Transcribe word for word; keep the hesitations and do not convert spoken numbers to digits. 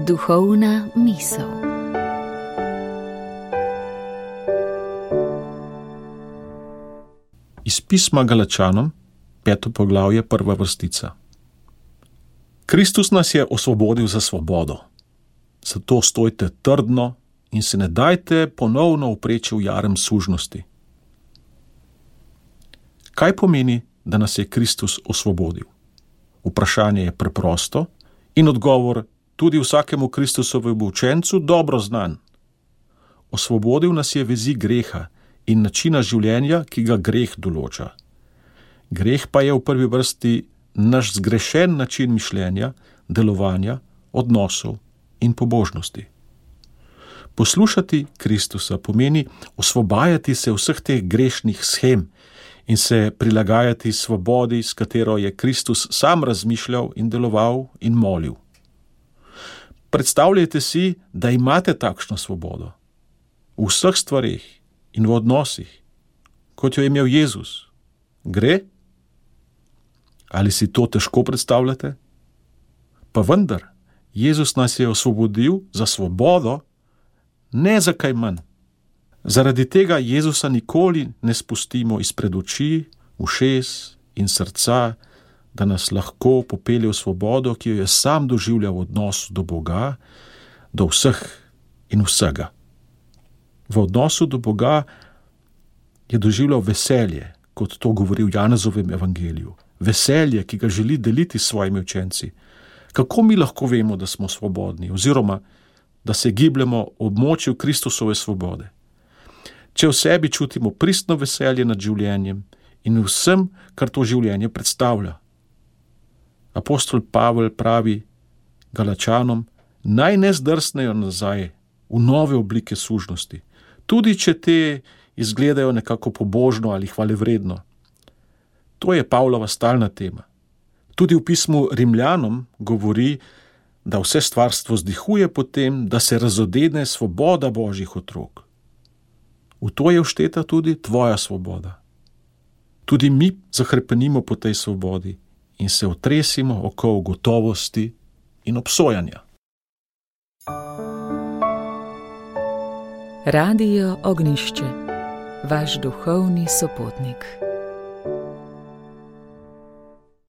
Duhovna misel. Iz pisma Galačanom, peto poglavje, prva vrstica. Kristus nas je osvobodil za svobodo. Zato stojte trdno in se ne dajte ponovno upreči v jarem sužnosti. Kaj pomeni, da nas je Kristus osvobodil? Vprašanje je preprosto in odgovor tudi vsakemu Kristusovemu učencu dobro znan. Osvobodil nas je vezi greha in načina življenja, ki ga greh določa. Greh pa je v prvi vrsti naš zgrešen način mišljenja, delovanja, odnosov in pobožnosti. Poslušati Kristusa pomeni osvobajati se vseh teh grešnih shem in se prilagajati svobodi, s katero je Kristus sam razmišljal in deloval in molil. Predstavljajte si, da imate takšno svobodo v vseh stvareh in v odnosih, kot jo je imel Jezus. Gre? Ali si to težko predstavljate? Pa vendar, Jezus nas je osvobodil za svobodo, ne za kaj manj. Zaradi tega Jezusa nikoli ne spustimo izpred oči, ušes in srca, da nas lahko popelje v svobodo, ki jo je sam doživljal v odnosu do Boga, do vseh in vsega. V odnosu do Boga je doživljal veselje, kot to govori v Janezovem evangeliju. Veselje, ki ga želi deliti s svojimi učenci. Kako mi lahko vemo, da smo svobodni, oziroma da se gibljemo v območju Kristusove svobode? Če v sebi čutimo pristno veselje nad življenjem in vsem, kar to življenje predstavlja. Apostol Pavel pravi Galačanom, naj ne zdrsnejo nazaj v nove oblike sužnosti, tudi če te izgledajo nekako pobožno ali hvalevredno. To je Pavlova stalna tema. Tudi v pismu Rimljanom govori, da vse stvarstvo vzdihuje po tem, da se razodene svoboda Božjih otrok. V to je všteta tudi tvoja svoboda. Tudi mi zahrepenimo po tej svobodi in se otresimo okoli gotovosti in obsojanja. Radio Ognjišče, vaš duhovni sopotnik.